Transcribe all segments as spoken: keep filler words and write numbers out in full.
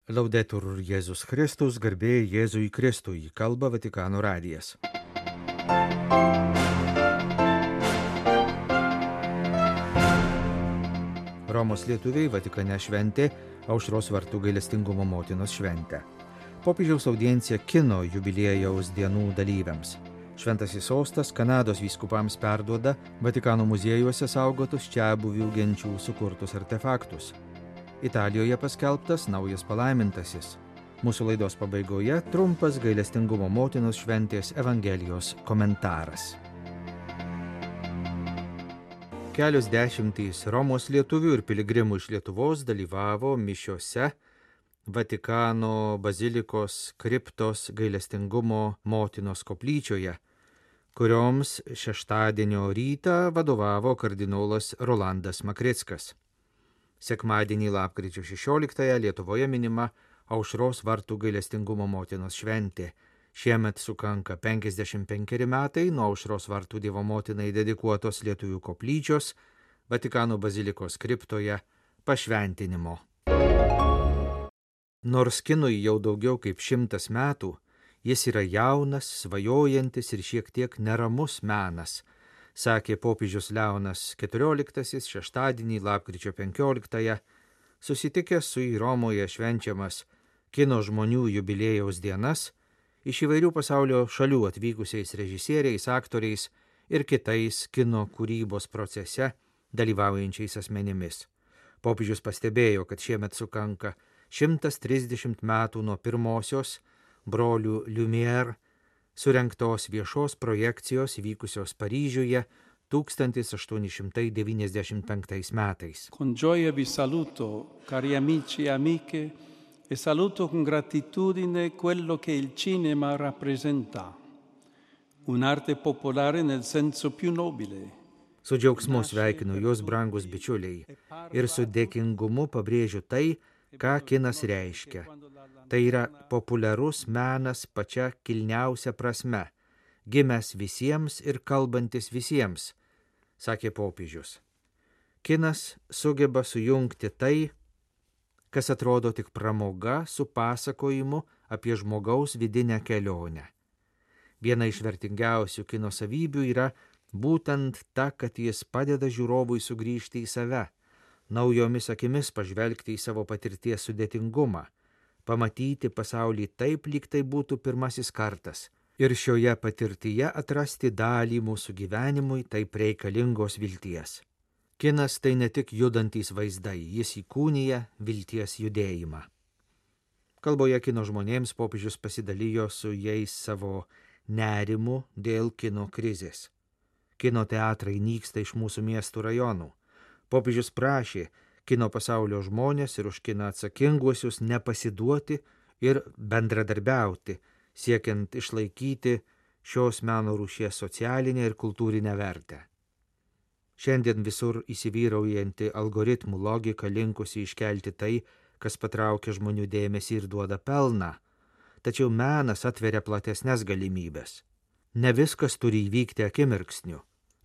Laudetur Jėzus Kristus, garbė Jėzui Kristui, kalba Vatikano radijas. Romos lietuviai Vatikane šventė Aušros vartų gailestingumo motinos šventę. Popiežiaus audiencija kino jubiliejaus dienų dalyviams. Šventasis sostas Kanados vyskupams perduoda Vatikano muziejuose saugotus čiabuvių genčių sukurtus artefaktus. Italijoje paskelbtas naujas palaimintasis. Mūsų laidos pabaigoje trumpas gailestingumo motinos šventės Evangelijos komentaras. Kelios dešimtys Romos lietuvių ir piligrimų iš Lietuvos dalyvavo mišiose Vatikano bazilikos kriptos gailestingumo motinos koplyčioje, kurioms šeštadienio rytą vadovavo kardinolas Rolandas Makrickas. Sekmadienį lapkričio šešioliktąją Lietuvoje minima Aušros vartų gailestingumo motinos šventė. Šiemet sukanka penkiasdešimt penkeri metai nuo Aušros vartų Dievo motinai dedikuotos lietuvių koplyčios Vatikano bazilikos kriptoje pašventinimo. Nors kinui jau daugiau kaip šimtas metų, jis yra jaunas, svajojantis ir šiek tiek neramus menas, sakė popiežius Leonas keturioliktasis šeštadienį lapkričio penkioliktąją, susitikęs su į Romoje švenčiamas kino žmonių jubiliejaus dienas, iš įvairių pasaulio šalių atvykusiais režisieriais, aktoriais ir kitais kino kūrybos procese dalyvaujančiais asmenimis. Popiežius pastebėjo, kad šiemet sukanka šimtas trisdešimt metų nuo pirmosios brolių Lumière surengtos viešos projekcijos vykusios Paryžiuje tūkstantis aštuoni šimtai devyniasdešimt penktais metais. Con gioia vi saluto, cari amici e amiche, e saluto con gratitudine quello che il cinema rappresenta, un'arte popolare nel senso più nobile. Su džiaugsmu sveikinu jūs, brangus bičiuliai, ir su dėkingumu pabrėžiu tai, ką kinas reiškia. Tai yra populiarus menas pačia kilniausia prasme, gimęs visiems ir kalbantis visiems, sakė popiežius. Kinas sugeba sujungti tai, kas atrodo tik pramoga, su pasakojimu apie žmogaus vidinę kelionę. Viena iš vertingiausių kino savybių yra būtent ta, kad jis padeda žiūrovui sugrįžti į save, naujomis akimis pažvelgti į savo patirties sudėtingumą, pamatyti pasaulį taip, lyg tai būtų pirmasis kartas ir šioje patirtyje atrasti dalį mūsų gyvenimui taip reikalingos vilties. Kinas tai ne tik judantys vaizdai, jis įkūnija vilties judėjimą. Kalboje kino žmonėms popiežius pasidalijo su jais savo nerimu dėl kino krizės. Kino teatrai nyksta iš mūsų miestų rajonų. Popiežius prašė kino pasaulio žmonės ir už kiną atsakinguosius nepasiduoti ir bendradarbiauti, siekiant išlaikyti šios meno rūšies socialinę ir kultūrinę vertę. Šiandien visur įsivyraujanti algoritmų logika linkusi iškelti tai, kas patraukia žmonių dėmesį ir duoda pelną, tačiau menas atveria platesnes galimybės. Ne viskas turi įvykti akimirksniu.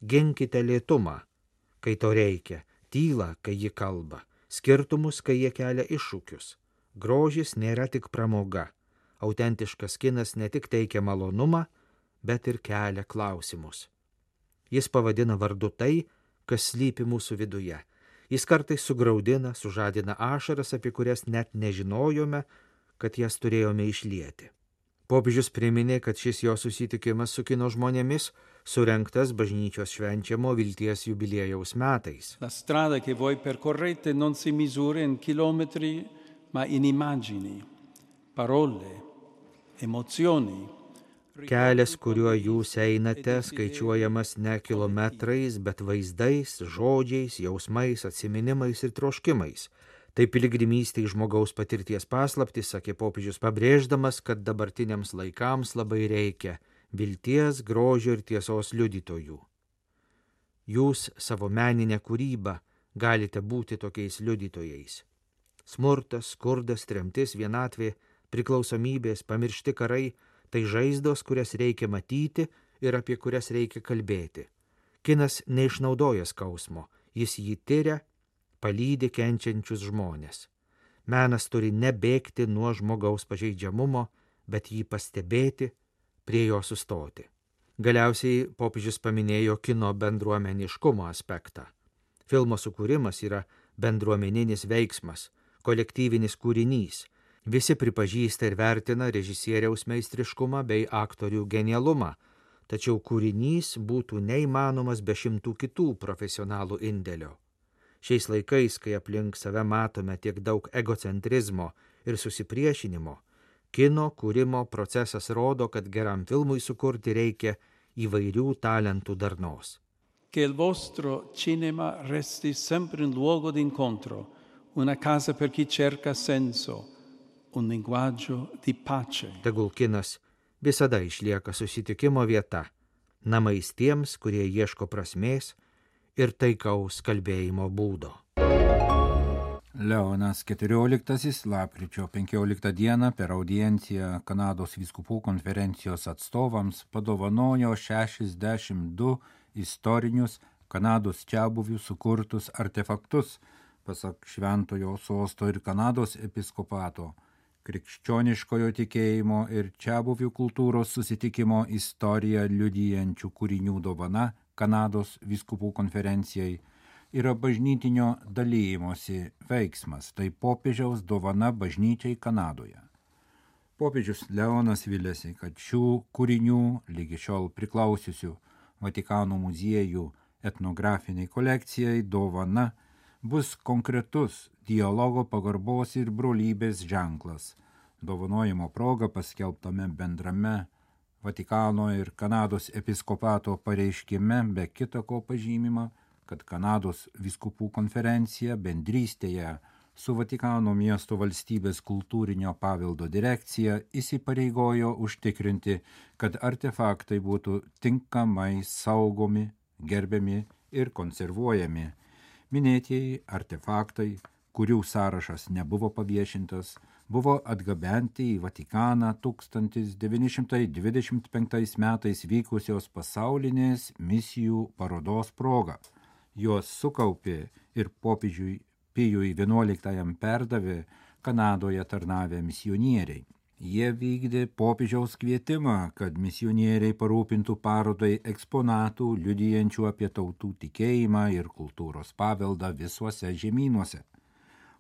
Ginkite lėtumą, kai to reikia, tylą, kai ji kalba, skirtumus, kai jie kelia iššūkius. Grožis nėra tik pramoga. Autentiškas kinas ne tik teikia malonumą, bet ir kelia klausimus. Jis pavadina vardu tai, kas slypi mūsų viduje. Jis kartais sugraudina, sužadina ašaras, apie kurias net nežinojome, kad jas turėjome išlieti. Popiežius priminė, kad šis jo susitikimas su kino žmonėmis surengtas bažnyčios švenčiamo vilties jubiliejaus metais. La strada che voi percorrete non si misura in chilometri, ma in immagini, parole, emozioni. Kelias, kuriuo jūs einate, skaičiuojamas ne kilometrais, bet vaizdais, žodžiais, jausmais, atsiminimais ir troškimais. Tai piligrimystė į žmogaus patirties paslaptis, sakė popiežius, pabrėždamas, kad dabartiniams laikams labai reikia vilties, grožio ir tiesos liudytojų. Jūs savo meninę kūrybą galite būti tokiais liudytojais. Smurtas, skurdas, tremtis, vienatvė, priklausomybės, pamiršti karai – tai žaizdos, kurias reikia matyti ir apie kurias reikia kalbėti. Kinas neišnaudoja skausmo, jis jį tiria, palydi kenčiančius žmonės. Menas turi nebėgti nuo žmogaus pažeidžiamumo, bet jį pastebėti, prie jo sustoti. Galiausiai popiežius paminėjo kino bendruomeniškumo aspektą. Filmo sukūrimas yra bendruomeninis veiksmas, kolektyvinis kūrinys. Visi pripažįsta ir vertina režisieriaus meistriškumą bei aktorių genialumą, tačiau kūrinys būtų neįmanomas be šimtų kitų profesionalų indėlio. Šiais laikais, kai aplink save matome tiek daug egocentrizmo ir susipriešinimo, kino kūrimo procesas rodo, kad geram filmui sukurti reikia įvairių talentų darnos. Che il vostro cinema resti sempre un luogo d'incontro, una casa per chi cerca senso, un linguaggio di pace. Tegul kinas visada išlieka susitikimo vieta, namais tiems, kurie ieško prasmės ir taikaus kalbėjimo būdo. Leonas keturioliktasis lapkričio penkioliktą dieną per audienciją Kanados vyskupų konferencijos atstovams padovanojo šešiasdešimt du istorinius Kanados čiabuvių sukurtus artefaktus, pasak Šventojo Sosto ir Kanados episkopato, krikščioniškojo tikėjimo ir čiabuvių kultūros susitikimo istoriją liudijančių kūrinių dovana Kanados vyskupų konferencijai yra bažnytinio dalymosi veiksmas, tai popiežiaus dovana bažnyčiai Kanadoje. Popiežius Leonas vilėsi, kad šių kūrinių lygi šiol priklausiusių Vatikano muziejų etnografiniai kolekcijai dovana bus konkretus dialogo pagarbos ir brolybės ženklas. Dovanojimo proga paskelbtame bendrame Vatikano ir Kanados episkopato pareiškime be kita ko pažymima, kad Kanados vyskupų konferencija bendrystėje su Vatikano miesto valstybės kultūrinio paveldo direkcija įsipareigojo užtikrinti, kad artefaktai būtų tinkamai saugomi, gerbiami ir konservuojami. Minėtieji artefaktai, kurių sąrašas nebuvo paviešintas, buvo atgabenti į Vatikaną tūkstantis devyni šimtai dvidešimt penktais metais vykusios pasaulinės misijų parodos proga. Juos sukaupė ir popiežiui Pijui vienuoliktajam perdavė Kanadoje tarnavę misionieriai. Jie vykdė popiežiaus kvietimą, kad misionieriai parūpintų parodai eksponatų liudijančių apie tautų tikėjimą ir kultūros paveldą visuose žemynuose.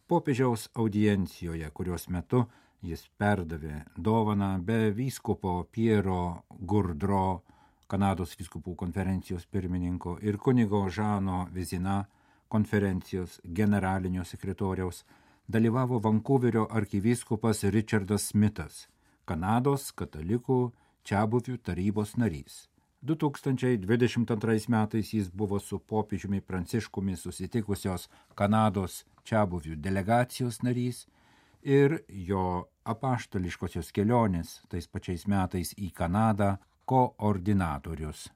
Popiežiaus audiencijoje, kurios metu jis perdavė dovaną be vyskupo Piero Gurdro, Kanados vyskupų konferencijos pirmininko, ir kunigo Žano Vizina, konferencijos generalinio sekretoriaus, dalyvavo Vankuverio arkivyskupas Richardas Smithas, Kanados katalikų čiabuvių tarybos narys. du tūkstančiai dvidešimt antrais metais jis buvo su popiežiumi Pranciškumi susitikusios Kanados čiabuvių delegacijos narys ir jo apaštališkosios kelionės tais pačiais metais į Kanadą koordinatorius.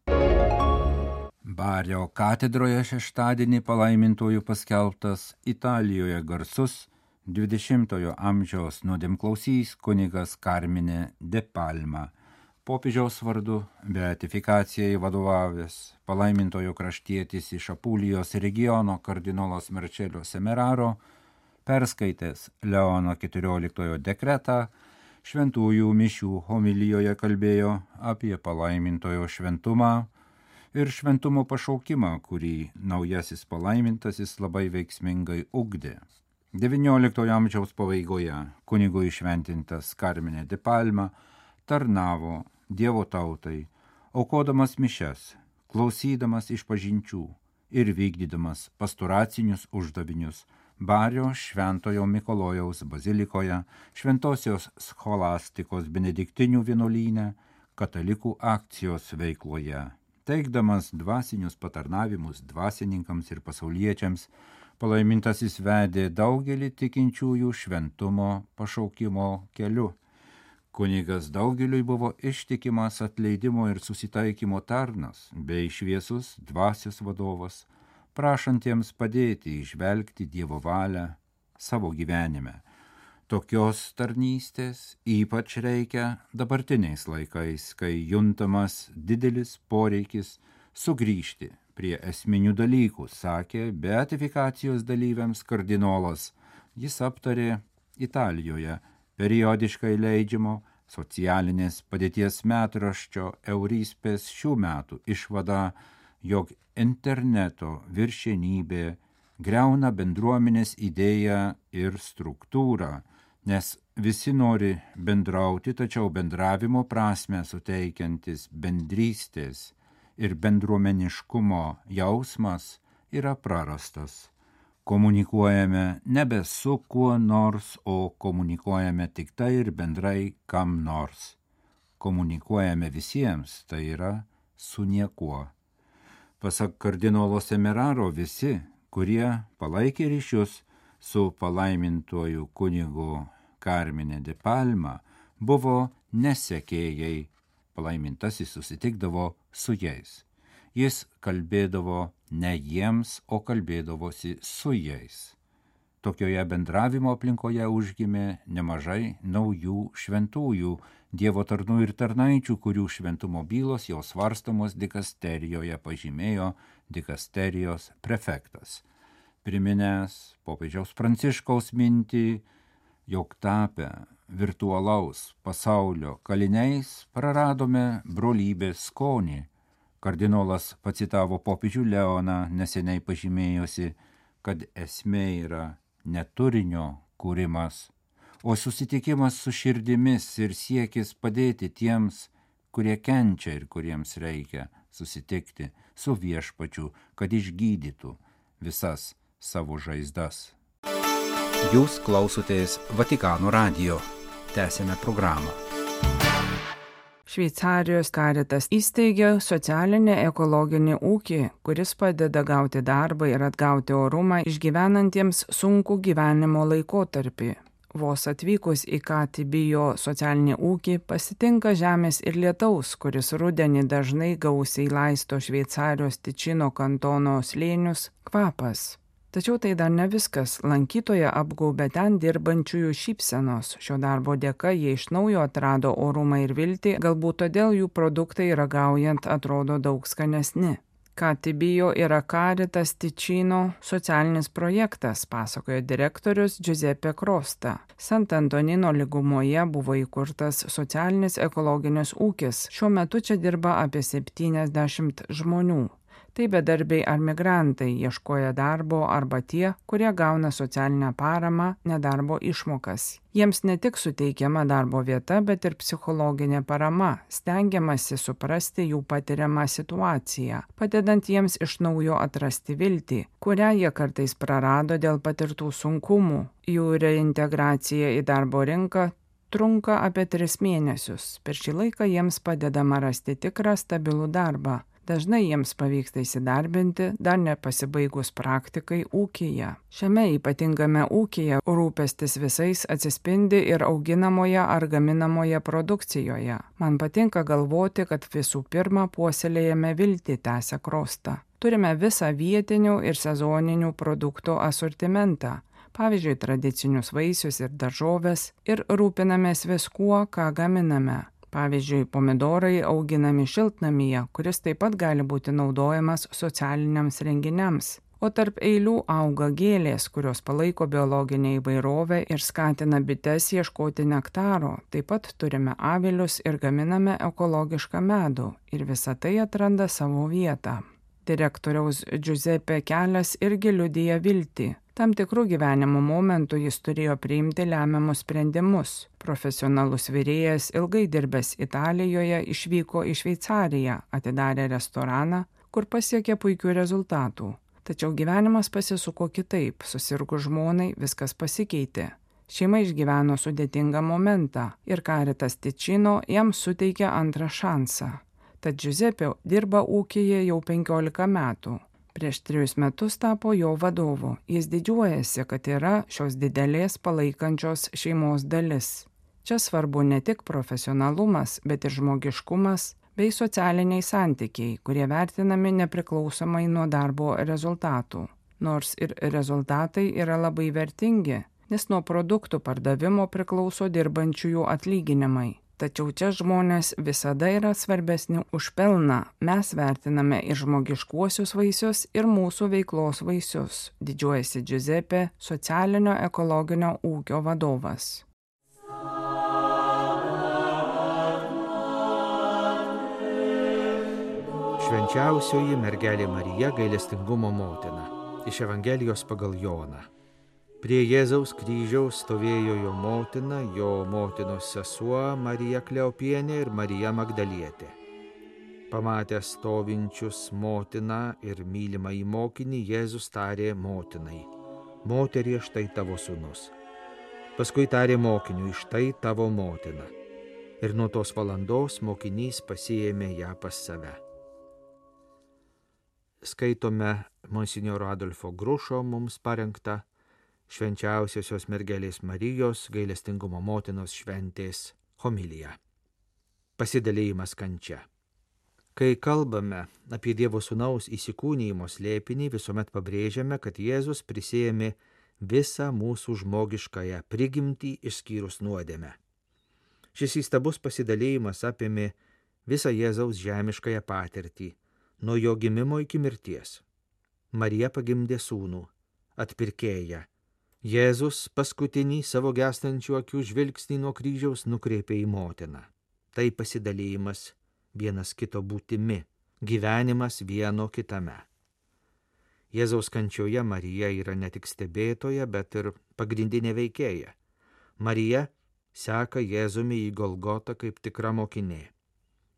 Bario katedroje šeštadienį palaimintojų paskelbtas Italijoje garsus dvidešimtojo amžiaus nuodėmklausys kunigas Carmine de Palma. Popiežiaus vardu beatifikacijai vadovavęs palaimintojo kraštietis iš Apulijos regiono kardinolas Marcello Semeraro, perskaitęs Leono keturioliktojo dekretą, šventųjų mišių homilijoje kalbėjo apie palaimintojo šventumą ir šventumo pašaukimą, kurį naujasis palaimintasis labai veiksmingai ugdė. devynioliktojo amžiaus pabaigoje kunigų įšventintas Carmine de Palma tarnavo Dievo tautai, aukodamas mišias, klausydamas išpažinčių ir vykdydamas pastoracinius uždavinius Bario Šventojo Mikalojaus bazilikoje, Šventosios scholastikos benediktinių vienuolyne, katalikų akcijos veikloje. Teikdamas dvasinius patarnavimus dvasininkams ir pasauliečiams, palaimintasis vedė daugelį tikinčiųjų šventumo pašaukimo keliu. Kunigas daugeliui buvo ištikimas atleidimo ir susitaikymo tarnas bei šviesus dvasios vadovas, prašantiems padėti išvelgti Dievo valią savo gyvenime. Tokios tarnystės ypač reikia dabartiniais laikais, kai juntamas didelis poreikis sugrįžti prie esminių dalykų, sakė beatifikacijos dalyviams kardinolas. Jis aptarė Italijoje periodiškai leidžiamo socialinės padėties metraščio Eurispės šių metų išvada, jog interneto viršenybė griauna bendruomenės idėją ir struktūrą, nes visi nori bendrauti, tačiau bendravimo prasmę suteikiantis bendrystės ir bendruomeniškumo jausmas yra prarastas. Komunikuojame nebe su kuo nors, o komunikuojame tik tai ir bendrai kam nors. Komunikuojame visiems, tai yra su niekuo. Pasak kardinolo Semeraro, visi, kurie palaikė ryšius su palaimintuoju kunigu Carmine de Palma, buvo nesekėjai. Palaimintasis susitikdavo su jais. Jis kalbėdavo ne jiems, o kalbėdavosi su jais. Tokioje bendravimo aplinkoje užgimė nemažai naujų šventųjų, Dievo tarnų ir tarnaičių, kurių šventumo bylos jau svarstamos dikasterijoje, pažymėjo dikasterijos prefektas, priminęs popiežiaus Pranciškaus mintį, jog tapę virtualaus pasaulio kaliniais praradome brolybės skonį. Kardinolas pacitavo popiežių Leoną, neseniai pažymėjosi, kad esmė yra ne turinio kūrimas, o susitikimas su širdimis ir siekis padėti tiems, kurie kenčia ir kuriems reikia susitikti su Viešpačiu, kad išgydytų visas savo žaizdas. Jūs klausotės Vatikano radijo. Tęsėme programą. Šveicarijos Caritas įsteigė socialinį ekologinį ūkį, kuris padeda gauti darbą ir atgauti orumą išgyvenantiems sunkų gyvenimo laikotarpį. Vos atvykus į Katibijo socialinį ūkį pasitinka žemės ir lietaus, kuris rudenį dažnai gausiai laisto Šveicarijos Tičino kantono slėnius, kvapas. Tačiau tai dar ne viskas. Lankytoją apgaubė ten dirbančiųjų šypsenos. Šio darbo dėka jie iš naujo atrado orumą ir viltį, galbūt todėl jų produktai ragaujant atrodo daug skanesni. Katibijo yra Caritas Ticino socialinis projektas, pasakojo direktorius Giuseppe Crosta. Sant'Antonino lygumoje buvo įkurtas socialinis ekologinis ūkis. Šiuo metu čia dirba apie septyniasdešimt žmonių. Tai bedarbiai ar migrantai ieškoja darbo arba tie, kurie gauna socialinę paramą, nedarbo išmokas. Jiems ne tik suteikiama darbo vieta, bet ir psichologinė parama, stengiamasi suprasti jų patiriamą situaciją, padedant jiems iš naujo atrasti viltį, kurią jie kartais prarado dėl patirtų sunkumų. Jų reintegracija į darbo rinką trunka apie tris mėnesius. Per šį laiką jiems padedama rasti tikrą stabilų darbą. Dažnai jiems pavyksta įsidarbinti, dar nepasibaigus praktikai ūkyje. Šiame ypatingame ūkyje rūpestis visais atsispindi ir auginamoje ar gaminamoje produkcijoje. Man patinka galvoti, kad visų pirma puoselėjame viltį, tęsia Crosta. Turime visą vietinių ir sezoninių produktų asortimentą. Pavyzdžiui, tradicinius vaisius ir daržoves ir rūpinamės viskuo, ką gaminame. Pavyzdžiui, pomidorai auginami šiltnamyje, kuris taip pat gali būti naudojamas socialiniams renginiams. O tarp eilių auga gėlės, kurios palaiko biologinę įvairovę ir skatina bites ieškoti nektaro. Taip pat turime avilius ir gaminame ekologišką medų. Ir visa tai atranda savo vietą. Direktoriaus Giuseppe kelias irgi liudija viltį. Tam tikrų gyvenimo momentų jis turėjo priimti lemiamus sprendimus. Profesionalus virėjas, ilgai dirbęs Italijoje, išvyko į Šveicariją, atidarė restoraną, kur pasiekė puikių rezultatų. Tačiau gyvenimas pasisuko kitaip, susirgus žmonai viskas pasikeitė. Šeima išgyveno sudėtingą momentą ir Caritas Ticino jam suteikė antrą šansą. Tad Giuseppe dirba ūkyje jau penkiolika metų. Prieš trejus metus tapo jo vadovu. Jis didžiuojasi, kad yra šios didelės palaikančios šeimos dalis. Čia svarbu ne tik profesionalumas, bet ir žmogiškumas bei socialiniai santykiai, kurie vertinami nepriklausomai nuo darbo rezultatų. Nors ir rezultatai yra labai vertingi, nes nuo produktų pardavimo priklauso dirbančiųjų atlyginimai. Tačiau čia žmonės visada yra svarbesni už pelną. Mes vertiname ir žmogiškuosius vaisius, ir mūsų veiklos vaisius, didžiuojasi Giuseppe, socialinio ekologinio ūkio vadovas. Švenčiausioji mergelė Marija, gailestingumo motina. Iš Evangelijos pagal Joną. Prie Jėzaus kryžiaus stovėjo jo motina, jo motinos sesuo Marija Kleopienė ir Marija Magdalietė. Pamatęs stovinčius motiną ir mylimą į mokinį, Jėzus tarė motinai: Moterie, štai tavo sūnus. Paskui tarė mokiniui: štai tavo motina. Ir nuo tos valandos mokinys pasiėmė ją pas save. Skaitome monsinjoro Adolfo Grušo mums parengtą Švenčiausiosios mergelės Marijos gailestingumo motinos šventės homiliją. Pasidalėjimas kančia. Kai kalbame apie Dievo Sūnaus įsikūnijimo slėpinį, visuomet pabrėžiame, kad Jėzus prisiėmė visą mūsų žmogiškąją prigimtį išskyrus nuodėmę. Šis įstabus pasidalėjimas apėmė visą Jėzaus žemiškąją patirtį, nuo jo gimimo iki mirties. Marija pagimdė sūnų, atpirkėją. Jėzus paskutinį savo gęstančių akių žvilgsnį nuo kryžiaus nukreipė į motiną. Tai pasidalėjimas vienas kito būtimi, gyvenimas vieno kitame. Jėzaus kančioje Marija yra ne tik stebėtoja, bet ir pagrindinė veikėja. Marija seka Jėzumi į Golgotą kaip tikra mokinė.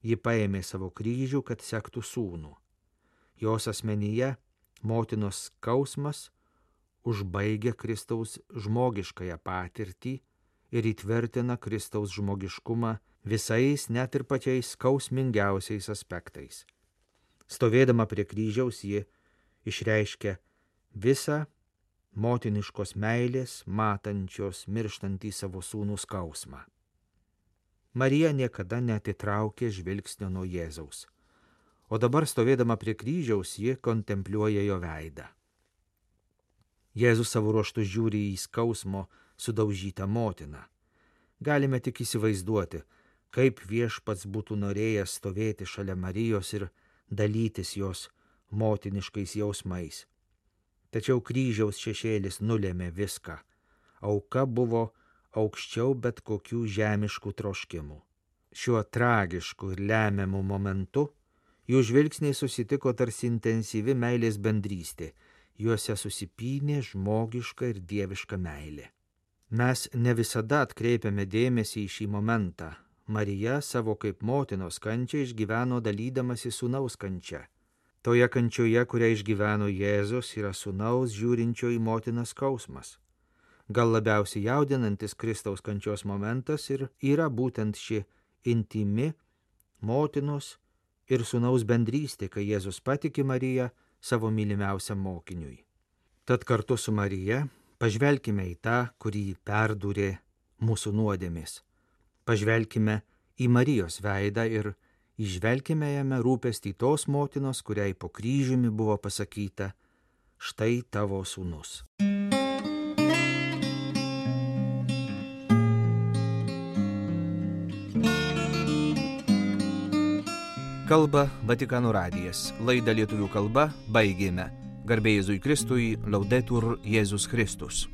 Ji paėmė savo kryžių, kad sektų sūnų. Jos asmenyje motinos skausmas užbaigia Kristaus žmogiškąją patirtį ir įtvirtina Kristaus žmogiškumą visais, net ir pačiais skausmingiausiais aspektais. Stovėdama prie kryžiaus, ji išreiškia visą motiniškos meilės, matančios mirštantį savo sūnų skausmą. Marija niekada neatitraukė žvilgsnio nuo Jėzaus, o dabar stovėdama prie kryžiaus, ji kontempliuoja jo veidą. Jėzus savo ruožtu žiūri į skausmo sudaužytą motiną. Galime tik įsivaizduoti, kaip Viešpats būtų norėjęs stovėti šalia Marijos ir dalytis jos motiniškais jausmais. Tačiau kryžiaus šešėlis nulėmė viską. Auka buvo aukščiau bet kokių žemiškų troškimų. Šiuo tragišku ir lemiamu momentu jų žvilgsniai susitiko tarsi intensyvi meilės bendrystė. Juose susipynė žmogiška ir dieviška meilė. Mes ne visada atkreipiame dėmesį į šį momentą. Marija savo kaip motinos kančią išgyveno dalydamasi sūnaus kančia. Toje kančioje, kurią išgyveno Jėzus, yra sūnaus žiūrinčio į motiną skausmas. Gal labiausiai jaudinantis Kristaus kančios momentas ir yra būtent ši intimi motinos ir sūnaus bendrystė, kai Jėzus patiki Mariją savo mylimiausiam mokiniui. Tad kartu su Marija pažvelkime į tą, kurį perdūrė mūsų nuodėmės. Pažvelkime į Marijos veidą ir įžvelkime jame rūpestį tos motinos, kuriai po kryžiumi buvo pasakyta: štai tavo sūnus. Kalba Vatikano radijas. Laidą lietuvių kalba baigėme. Garbė Jėzui Kristui, Laudetur Jėzus Kristus.